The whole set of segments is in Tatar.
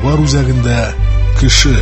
Игътибар үзәгендә кеше.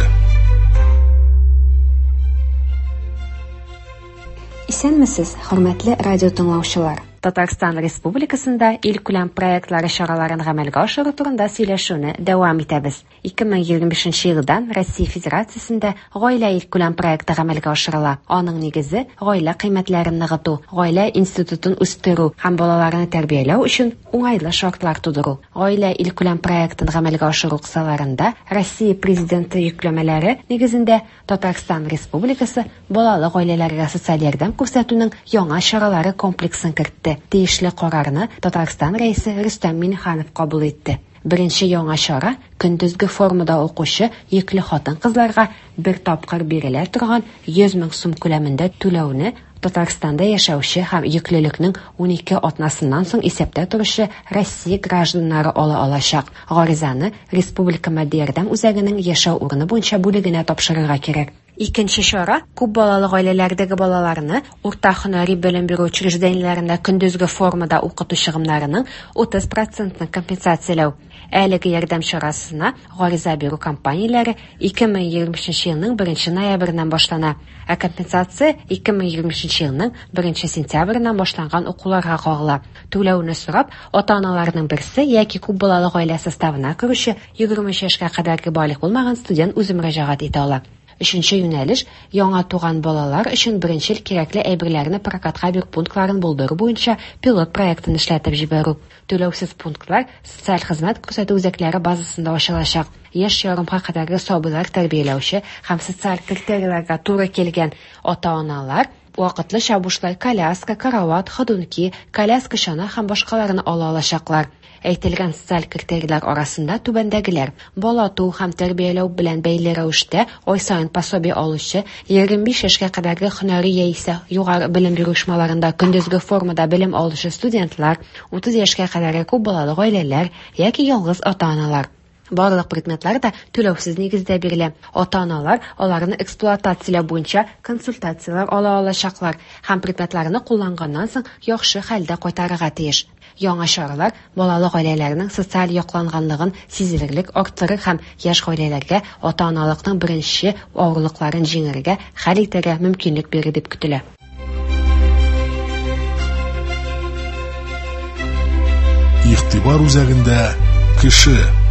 Исәнмесез, хөрмәтле радио тыңлаучылар! Татарстан Республикасында илкүләм проектлары чараларын гамәлгә ашыру турында сөйләшүне дәвам итәбез. 2025 елдан Россия Федерациясендә Гаилә илкүләм проекты гамәлгә ашырыла. Аның нигезе гаилә кыйммәтләрен ныгыту, гаилә институтын үстерү һәм балаларны тәрбияләү өчен уңайлы шартлар тудыру. Гаилә илкүләм проектын гамәлгә ашыру кысаларында Россия Президенты йөкләмәләре нигезендә Татарстан Республикасы балалы гаиләләргә социаль ярдәм күрсәтүнең яңа чаралары комплексын кертте. Тиешле карарны Татарстан Рәисе Рөстәм Миңнеханов кабул итте. Беренче яңа чара көндезге формада укучы йөкле хатын-кызларга бер тапкыр бирелә торган 100 мең сум күләмендә түләүне Татарстанда яшәүче һәм йөклелекнең 12 атнасыннан соң исәптә торучы Россия гражданнары ала алачак. Гаризаны Республика матди ярдәм үзәгенең яшәү урыны буенча бүлегенә тапшырырга кирәк. Икенче чара күп балалы гаиләләрдәге балаларны урта һөнәри белем бирү учреждениеләрендә көндезге формада укыту чыгымнарының 30 процентын компенсацияләү. Әлеге ярдәм чарасына гариза бирү кампанияләре 2025 елның 1 ноябреннән башлана, ә компенсация 2025 елның 1 сентябреннән башланган укуларга кагыла. Түләүне сорап, ата-аналарның берсе яки күп балалы гаилә составына керүче 23 яшькә кадәрге балигъ булмаган студент үзе мөрәҗәгать итә ала. Өченче юнәлеш яңа туган балалар өчен беренчел кирәкле әйберләрне прокатка бирү пунктларын булдыру буенча пилот проектын эшләтеп җибәрү. Түләүсез пунктлар социаль хезмәт күрсәтү үзәкләре базасында ачылачак. Яшь ярымга кадәрге сабыйлар тәрбияләүче һәм социаль критерийларга туры килгән ата-аналар вакытлыча бушлай коляска, карават, ходунки, коляска чана һәм башкаларны ала алачаклар. Әйтелгән социаль критерийлар арасында түбәндәгеләр: бала туу һәм тәрбияләү белән бәйле рәвештә ай саен пособие алучы, 25 яшькә кадәрге һөнәри яисә югары белем бирү оешмаларында көндезге формада белем алучы студентлар, 30 яшькә кадәрге күп балалы гаиләләр яки ялгыз ата-аналар. Барлык предметлар да түләүсез нигездә бирелә. Ата-аналар аларны эксплуатацияләү буенча консультацияләр ала алачаклар һәм предметларны кулланганнан соң яхшы хәлдә кайтарырга тиеш. Яңа чаралар балалы гаиләләрнең социаль якланганлыгын сизелерлек арттырыр һәм яшь гаиләләргә ата-аналыкның беренче авырлыкларын җиңәргә, хәл итәргә мөмкинлек бирер дип көтелә. Игътибар үзәгендә кеше.